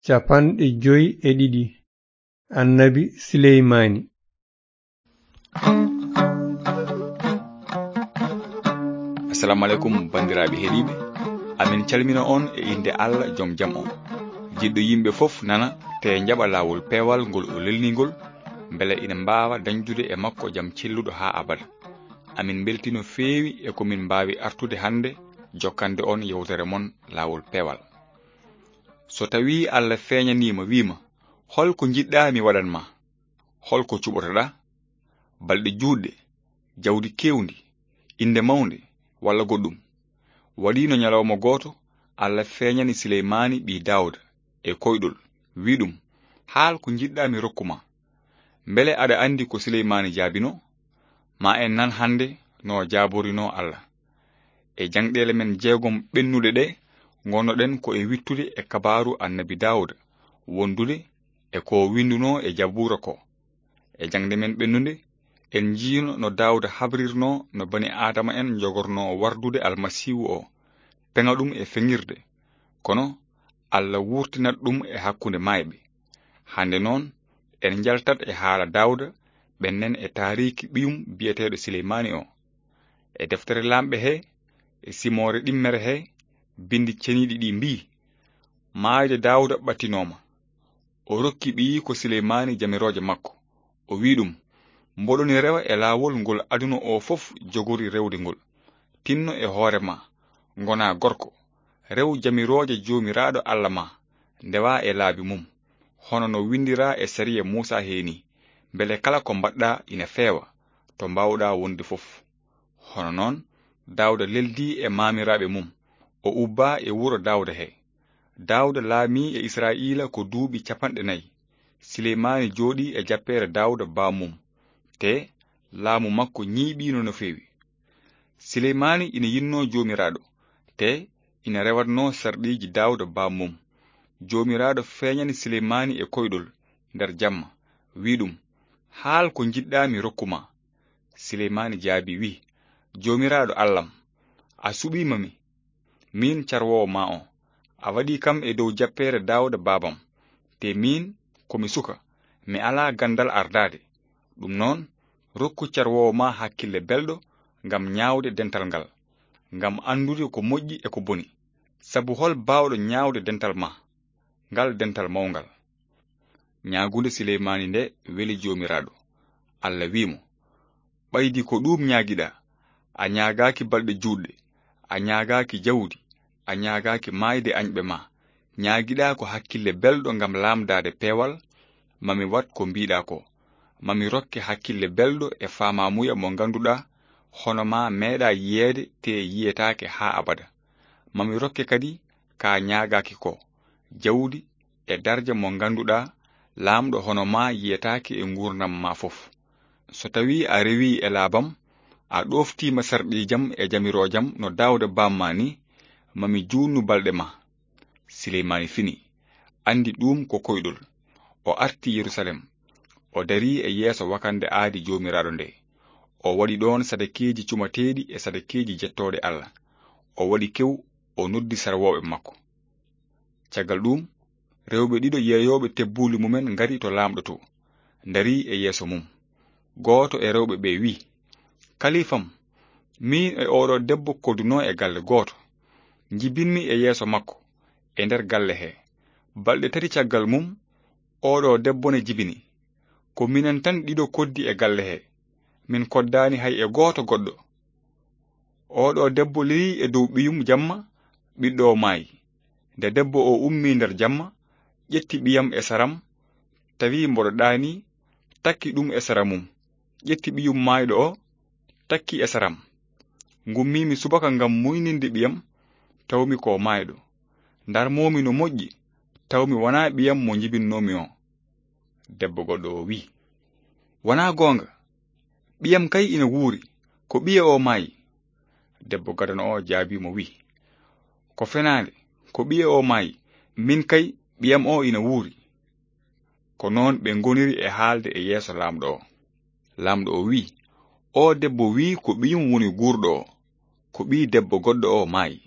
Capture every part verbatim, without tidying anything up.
Capanɗe joy e ɗiɗi. Annabi Sileymaani. Assalamu aleykum, banndiraaɓe heɗiiɓe. Amin calmina on e innde Allah, jom jam on. Jiɗɗo yimɓe fof nana, te jaɓa laawol peewal ngol o lelni ngol, mbele ina mbaawa dañdude e makko jam celluɗo haa abada. Amin mbelti no feewi e ko min mbaawi artude hannde, jokkande on yewtere mon laawol peewal. So tawii Allah feeñanii ma, wii ma, "Hol ko njiɗɗaa mi waɗan ma? Hol ko cuɓotoɗaa? Balɗe juutɗe, jawdi keewndi, innde mawnde, walla goɗɗum?" Waɗiino ñalawma gooto, Allah feeñani Sileymaani ɓii Daawda e koyɗol, wii ɗum, "Haal ko njiɗɗaa mi rokku ma." Mbele aɗa anndi ko Sileymaani jaabinoo? Ma en nan hannde no jaaborinoo Allah. E jaŋɗeele men jeegom ɓennuɗe ɗe, ngonnoɗen ko e wittude e kabaaru Annabi Daawuda, wondude e ko winndunoo e Jabuura ko. E jaŋde men ɓennunde, en njiino no Daawuda habrirnoo no bani Aadama en njogornoo wardude Almasiihu o, peŋa ɗum e feŋirde. Kono Allah wurtinat ɗum e hakkunde maayɓe. Hannde noon, en njaltat e haala Daawuda, ɓennen e taariiki ɓiyum biyeteeɗo Sileymaani o. E deftere laamɓe he, e simoore ɗimmere he, binndi ceniiɗi ɗi mbii, "Maayde Daawuda ɓattinooma. O rokki ɓiyiiko Sileymaani jamirooje makko. O wii ɗum, 'Mboɗo ni rewa e laawol ngol aduna o fof jogori rewde ngol. Tinno e hoore ma, ngona gorko. Rew jamirooje Joomiraaɗo Allah ma, ndewa e laabi mum, hono no winndiraa e sariya Muusaa he ni, mbele kala ko mbaɗɗaa ina feewa, to mbaawɗaa wonde fof.'" Hono noon, Daawuda leldi e maamiraaɓe mum, o ubbaa e wuro Daawuda he. Daawuda laamii e Israa'iila ko duuɓi capanɗe nayi. Sileymaani jooɗii e jappeere Daawuda bammum, te laamu makko ñiiɓiino no feewi. Sileymaani ina yinnoo Joomiraaɗo, te ina rewatnoo sarɗiiji Daawuda bammum. Joomiraaɗo feeñani Sileymaani e koyɗol nder jamma, wii ɗum, "Haal ko njiɗɗaa mi rokku ma?" Sileymaani jaabii, wii, "Joomiraaɗo Allam, a suɓiima mi, miin carwoowo ma o. A waɗii kam e dow jappeere Daawuda baabam, te miin, ko mi suka, mi alaa ganndal ardaade. Ɗum noon, rokku carwoowo ma hakkille belɗo ngam ñaawde dental ngal, ngam anndude ko moƴƴi e ko boni. Sabu hol baawɗo ñaawde dental ma, ngal dental mawngal?" Ñaagunde Sileymaani nde weli Joomiraaɗo. Allah wii mo, "Ɓaydi ko ɗuum ñaagiɗaa, a ñaagaaki balɗe juutɗe, a ñaagaaki jawdi, a ñaagaaki maayde añɓe ma, ñaagiɗaa ko hakkille belɗo ngam laamdaade peewal, ma mi waɗ ko mbiiɗaa ko. Ma mi rokke hakkille belɗo e faamaamuya mo ngannduɗaa, hono ma meeɗaa yiyeede te yiyetaake haa abada. Ma mi rokke kadi ka ñaagaaki ko, jawdi e darja mo ngannduɗaa, laamɗo hono ma yiyetaake e nguurndam ma fof. So tawii a rewii e laabam, a ɗooftiima sarɗiijam e jamiroojam no Daawuda baamma ni, ma mi juutnu balɗe ma." Sileymaani fini, anndi ɗuum ko koyɗol. O arti Yerusalem, o darii e yeeso wakannde aadi Joomiraaɗo nde. O waɗi ɗoon sadakeeji cumateeɗi e sadakeeji jettooɗe Allah. O waɗi kew, o noddi sarwooɓe makko. Caggal ɗuum, rewɓe ɗiɗo yeeyooɓe tebbuuli mumen ngari to laamɗo to, ndarii e yeeso mum. Gooto e rewɓe ɓee wii, "Kaliifam, miin e oɗo debbo koddunoo e galle gooto. Njibinmi e yeeso makko e nder galle he. Balɗe tati caggal mum, oɗo debbo ne jibini. Ko minen tan ɗiɗo koddi e galle he. Min koddaani hay e gooto goɗɗo. Oɗo debbo lelii e dow ɓiyum jamma, ɓiɗɗo o maayi. Nde debbo o ummii nder jamma, ƴetti ɓiyam e saram, tawi mboɗo ɗaanii, takki ɗum e sara mum. Ƴetti ɓiyum maayɗo o, takki e saram. Ngummiimi subaka ngam muyninde ɓiyam, tawmi ko maayɗo. Ndarmoomi no moƴƴi, tawmi wonaa ɓiyam mo njibinnoomi o." Debbo goɗɗo o wii, "Wonaa goonga. Ɓiyam kay ina wuuri, ko ɓiya o maayi." Debbo gadano o jaabii mo wii, "Ko fenaande, ko ɓiya o maayi, min kay ɓiyam o ina wuuri." Ko noon ɓe ngoniri e haalde e yeeso laamɗo o. Laamɗo o wii, "O debbo wii ko ɓiyum woni guurɗo o, ko ɓii debbo goɗɗo o maayi.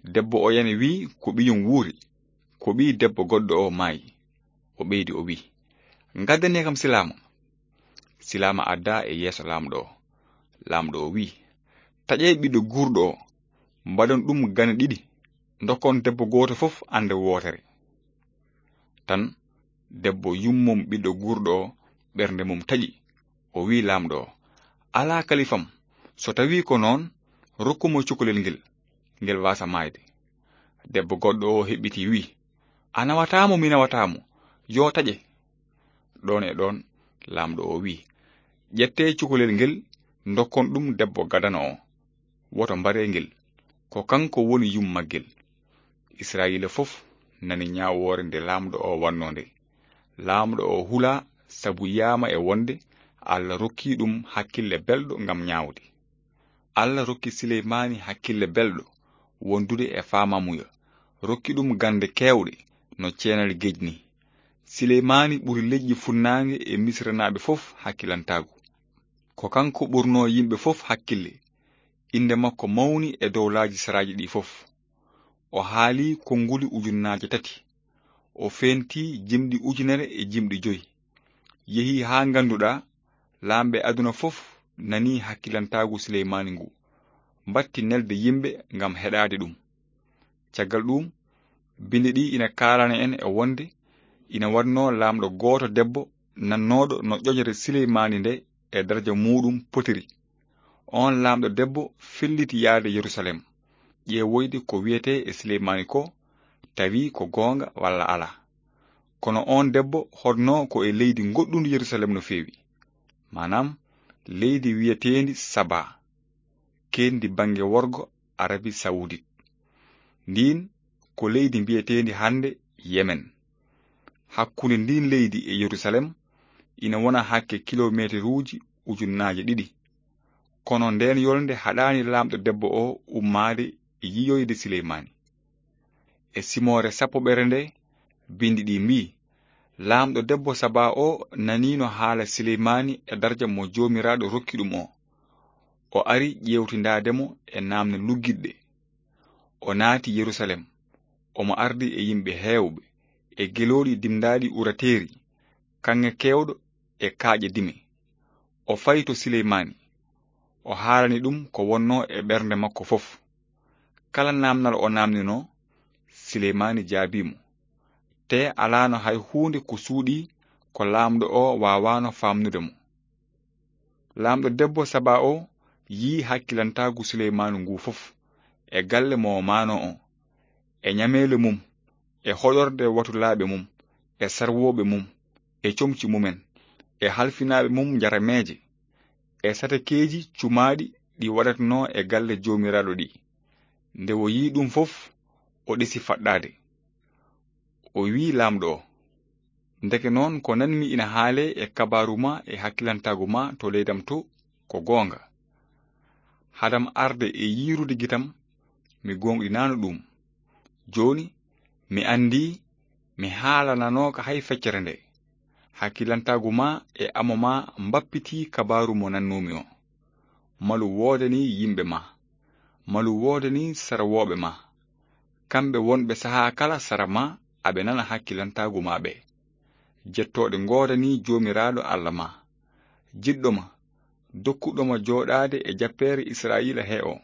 Debbo o yani wii ko ɓiyum wuuri, ko ɓii debbo goɗɗo o maayi. O ɓeydi o wi'i, "Ngaddanee kam silaama." Silaama addaa e yeeso laamɗo o. Laamɗo o wi'i, "Taƴee ɓiɗɗo guurɗo o, mbaɗon ɗum gane ɗiɗi, ndokkon debbo gooto fof annde wootere." Tan debbo yummum ɓiɗɗo guurɗo o, ɓernde mum taƴi. O wi'i laamɗo o, "Alaa kalifam, so tawii ko noon, rokku mo cukalel ngel, ngel waasa maayde." Debbo goɗɗo o heɓɓiti wi'i, "A nawataa mo, mi nawataa mo, yoo taƴe." Ɗoon e ɗoon laamɗo o wi'i, "Ƴettee cukalel ngel, ndokkon ɗum debbo gadano o, woto mbaree ngel, ko kanko woni yummaggel." Israa'iila fof nani ñaawoore nde laamɗo o wannoo nde. Laamɗo o hulaa sabu yiyaama e wonde Alla rokkii ɗum hakkille belɗo ngam ñaawde. Alla rokki Sileymaani hakkille belɗo wondude e faamamuya, rokki ɗum gannde keewɗe no ceenal geej ni. Sileymaani ɓuri leƴƴi funnaange e Misiranaaɓe fof hakkilantaagu. Ko kanko ɓurnoo yimɓe fof hakkille. Innde makko mawni e dowlaaji saraaji ɗi fof. O haalii konnguli ujunnaaje tati. O feentii jimɗi ujunere e jimɗi joyi. Yehii haa ngannduɗaa laamɓe aduna fof nanii hakkilantaagu Sileymaani ngu, mbatti nelde yimɓe ngam heɗaade ɗum. Caggal ɗuum, bindi ɗi ina kaalana en e wonde ina waɗnoo laamɗo gooto debbo nannooɗo no ƴoƴre Sileymaani nde e daraja muuɗum potiri. Oon laamɗo debbo felliti yahde Yerusalem, ƴeewoyde ko wiyetee e Sileymaani ko, tawi ko goonga walla alaa. Kono oon debbo hoɗnoo ko e leydi goɗɗundi Yerusalem no feewi, maanaam leydi wiyeteendi Saba, keendi bannge worgo Arabi Sawudit. Ndiin ko leydi mbiyeteendi hannde Yemen. Hakkunde ndiin leydi e Yerusalem ina wona hakke kilomeeteruuji ujunnaaje ɗiɗi. Kono ndeen yolnde haɗaani laamɗo debbo o ummaade yiyoyde Sileymaani. E simoore sappoɓere nde, bindi ɗi mbii, laamɗo debbo Saba o naniino haala Sileymaani e darja mo Joomiraaɗo rokki ɗum o. O ari ƴeewtindaade mo e naamne luggiɗɗe. O naati Yerusalem. Omo ardi e yimɓe heewɓe, e gelooɗi dimndaaɗi urateeri, kaŋŋe keewɗo e kaaƴe dime. O fayi to Sileymaani. O haalani ɗum ko wonnoo e ɓernde makko fof. Kala naamnal o naamninoo, Sileymaani jaabii mo. Tee alaano hay huunde ko suuɗii ko laamɗo o waawaano faamnude mo. Laamɗo debbo Saba o yii hakkilantaagu Suleymaanu nguu fof, e galle mo o maanoo o, e ñameele mum, e hoɗorde watulaaɓe mum, e sarwooɓe mum, e comci mumen, e halfinaaɓe mum njarameeje, e satakeeji cumaaɗi ɗi waɗatnoo e galle Joomiraaɗo ɗi. Nde o yii ɗum fof, o ɗesi faɗɗaade. O wi'i laamɗo o, "Ndeke noon ko nanmi ina haalee e kabaaru ma e hakkilantaagu ma to leydi am to ko goonga. Haɗam arde e yiirude gitam, mi gooŋɗinaano ɗum. Jooni mi anndii mi haalananooka hay feccere nde. Hakkilantaagu ma e amo ma mbappitii kabaaru mo nannumi o. Malu woodanii yimɓe ma, malu woodanii sarawooɓe ma. Kamɓe wonɓe sahaa kala sara ma, aɓe nana hakkilantaagu ma ɓe. Jettooɗe ngoodanii Joomiraaɗo Alla ma, jiɗɗo ma, dokkuɗo ma jooɗaade e jappeere Israa'iila he o.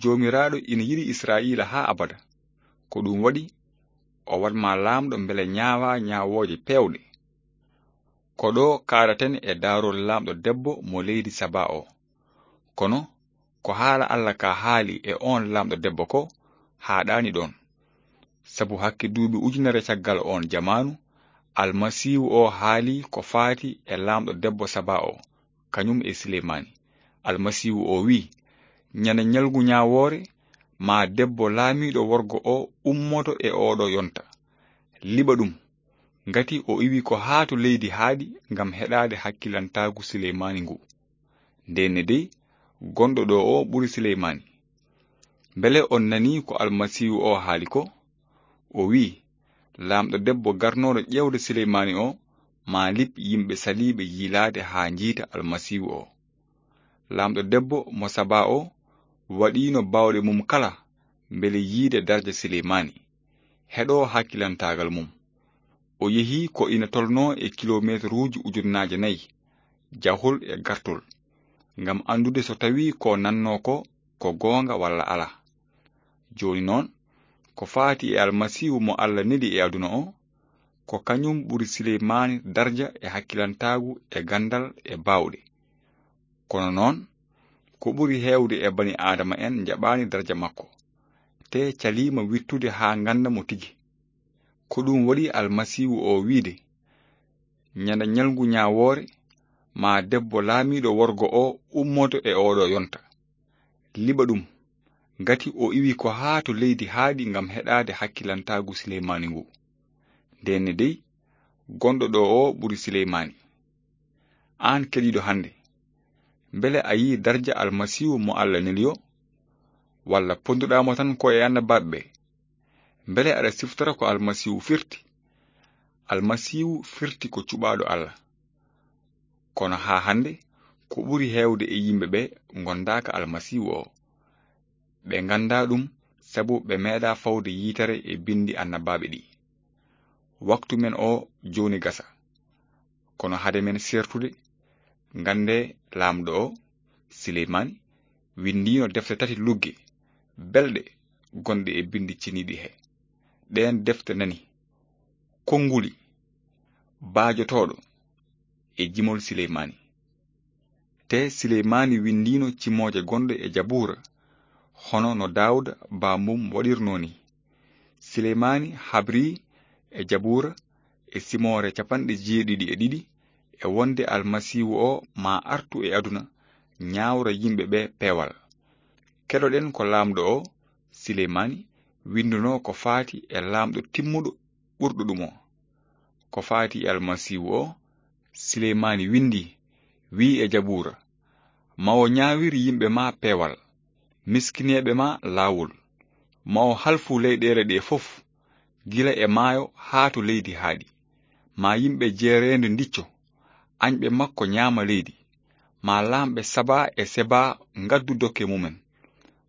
Joomiraaɗo ina yiɗi Israa'iila haa abada. Ko ɗum waɗi o waɗ ma laamɗo mbele ñaawaa ñaawooje peewɗe." Ko ɗo kaalaten e daarol laamɗo debbo mo leydi Saba o. Kono ko haala Alla ka haali e oon laamɗo debbo ko haaɗaani ɗoon. Sabu hakke duuɓi ujunere caggal oon jamaanu, Almasiihu o haali ko faati e laamɗo debbo Saba o, kañum e Sileymaani. Almasiihu o wi'i, "Ñande ñalngu ñaawoore, ma debbo laamiiɗo worgo o ummoto e ooɗo yonta, liɓa ɗum, ngati o iwi ko haa to leydi haaɗi ngam heɗaade hakkilantaagu Sileymaani ngu. Ndenne dey, gonɗo ɗo o ɓuri Sileymaani." Mbele on nanii ko Almasiihu o haali ko? O wi'i, "Laamɗo debbo garnooɗo ƴeewde Sileymaani o, ma liɓ yimɓe saliiɓe yiilaade haa njiita Almasiihu o." Laamɗo debbo mo Saba o waɗiino baawɗe mum kala mbele yiide darja Sileymaani. heɗo hakkilantaagal mum. O yehi ko ina tolnoo e kilomeetaruuji ujunnaaje nayi, jahol e gartol, ngam anndude so tawii ko nannoo ko, ko goonga walla alaa. Jooni noon, ko faati e Almasiihu mo Alla neli e aduna o, ko kañum ɓuri Sileymaani darja e hakkilantaagu e ganndal e baawɗe. Kono noon, ko ɓuri heewde e bani Aadama en njaɓaani darja makko, te caliima wittude haa ngannda mo tigi. Ko ɗum waɗi Almasiihu o wiide, ñande ñalngu ñaawoore, ma debbo laamiiɗo worgo o ummoto e oɗo yonta, liɓa ɗum, ngati o iwi ko haa to leydi haaɗi ngam heɗaade hakkilantaagu Sileymaani ngu. Ndenne dey, gonɗo ɗo o ɓuri Sileymaani. Aan keɗiiɗo hannde, mbele a yii darja Almasiihu mo Alla neli o? Walla ponduɗaa mo tan ko e annabaaɓe ɓe? Mbele aɗa siftora ko Almasiihu firti? Almasiihu firti ko cuɓaaɗo Alla. Kono haa hannde, ko ɓuri heewde e yimɓe ɓe ngondaaka Almasiihu o. Ɓe nganndaa ɗum sabu ɓe meeɗaa fawde yitere e binndi annabaaɓe ɗi. Waktu men o jooni gasa. Kono hade men seertude, nganndee laamɗo o, Sileymaani, winndiino defte tati lugge, belɗe, gonɗe e binndi ceniiɗi he. Ɗeen defte nani, konnguli, baajotooɗo, e jimol Sileymaani. Te Sileymaani winndiino cimooje gonɗe e Jabuura, hono no Daawda baamum waɗirnoo ni. Sileymaani habri e Jabuura e simoore capanɗe jeeɗiɗi e ɗiɗi e wonde Almasiihu o ma artu e aduna ñaawra yimɓe ɓe peewal. Keɗoɗen ko laamɗo o, Sileymaani, winndunoo ko faati e laamɗo timmuɗo ɓurɗo ɗum o. Ko faati e Almasiihu o, Sileymaani winndi, wi'i e Jabuura, ma o ñaawir yimɓe ma peewal, miskineeɓe ma laawol, ma o halfu leyɗeele ɗe fof, gila e maayo haa to leydi haaɗi. Ma yimɓe jeereende ndicco, añɓe makko ñaama leydi. Ma laamɓe Saba e Seba ngaddu dokke mumen.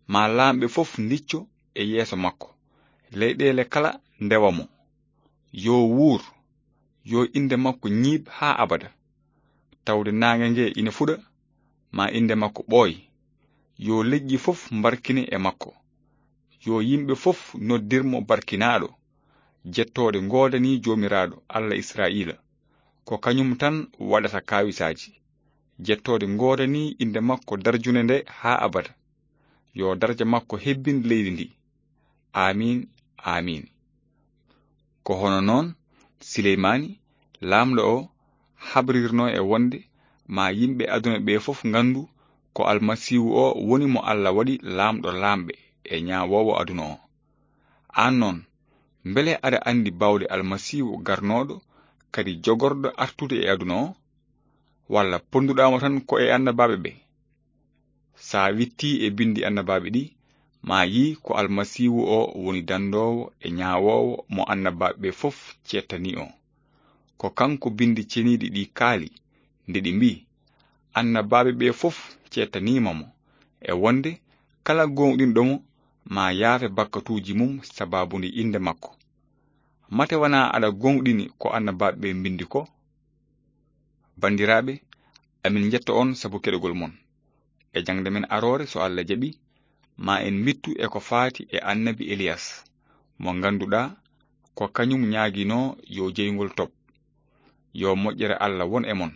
Ma laamɓe fof ndicco e yeeso makko. Leyɗeele kala ndewa mo. Yo wuur, yo innde makko ñiiɓ haa abada. Tawde naange nge ina fuɗa, ma innde makko ɓooy. Yo leƴƴi fof mbarkine e makko. Yo yimɓe fof noddir mo barkinaaɗo. Jettooɗe ngoodanii Joomiraaɗo, Alla Israa'iila. Ko kañum tan waɗata kaawisaaji. Jettooɗe ngoodanii innde makko darjunde nde haa abada. Yo darja makko hebbin leydi ndi. Aamiin, aamiin. Ko hono noon Sileymaani, laamɗo o, habrirnoo e wonde ma yimɓe aduna ɓe fof nganndu ko Almasiihu o woni mo Alla waɗi laamɗo laamɓe e ñaawoowo aduna o. Aan noon, mbele aɗa anndi baawɗe Almasiihu garnooɗo kadi jogorɗo artude e aduna o? Walla ponduɗaa mo tan ko e annabaaɓe ɓe? Sa witti e binndi annabaaɓe ɗi, ma yii ko Almasiihu o woni dandoowo e ñaawoowo mo annabaaɓe ɓe fof cettani o. Ko kanko binndi ceniiɗi ɗi kaali, nde ɗi mbii, annabaaɓe ɓe fof cettaniima mo, e wonde kala gooŋɗinɗo mo ma yaafe bakkatuuji mum sabaabu nde innde makko. Mate wanaa aɗa gooŋɗini ko annabaaɓe ɓe mbinndi ko? Banndiraaɓe, amin njetta on sabu keɗogol mon. E jaŋde men aroore, so Alla jaɓi, ma en mbittu e ko faati e annabi Eliyas, mo ngannduɗaa ko kañum ñaaginoo yo jeyngol toɓ. Yo moƴƴere Alla won e mon,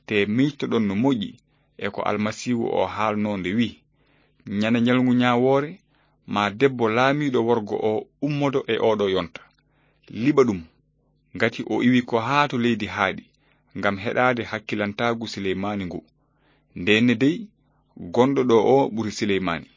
te miijtoɗon no moƴƴi e ko Almasiihu o haalnoo nde wi'i, ñande ñalngu ñaawoore, ma debbo laamiiɗo worgo o ummodo e oɗo yonta, liɓa ɗum, ngati o iwi ko haa to leydi haaɗi, ngam heɗaade hakkilantaagu Sileymaani ngu. Ndenne dey, gonɗo ɗo o ɓuri Sileymaani.